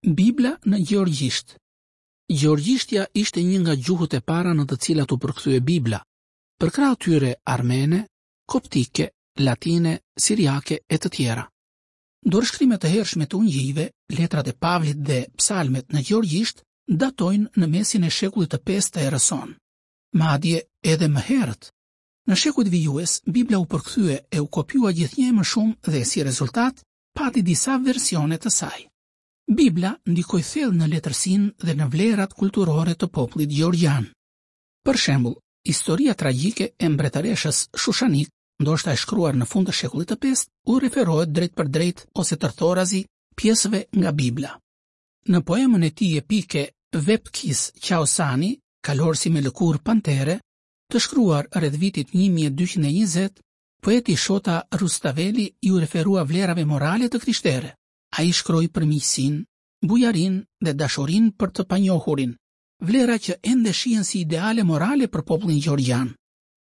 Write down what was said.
Bibla në gjeorgjisht. Gjeorgjishtja ishte një nga gjuhët e para në të cilat u përkthye Bibla, përkrah atyre armene, koptike, latine, siriake e të tjera. Dorëshkrime të hershme të ungjijve, letrat e Pavlit dhe psalmet në gjeorgjisht datojnë në mesin e shekullit të pestë të erës sonë. Madje edhe më herët. Në shekujt vijues, Bibla u përkthye e u kopjua gjithnjë e më shumë dhe si rezultat pati disa versione të saj. Bibla ndikoi thellë në letërsinë dhe në vlerat kulturore të popullit gjeorgjian. Për shembull, historia tragjike e mbretëreshës Shushanik, ndoshta e shkruar në fund të shekullit të pestë, u referohet drejtpërdrejt ose tërthorazi pjesëve nga Bibla. Në poemën e tij epike Vepkhis Qaursani, Kalorësi me lëkurë pantere, të shkruar rreth vitit 1220, poeti Shota Rustaveli iu referua vlerave morale të krishtere. Ai shkroi për miqësinë, bujarinë dhe dashurinë për të panjohurin, vlera që ende shihen si ideale morale për popullin gjeorgjian.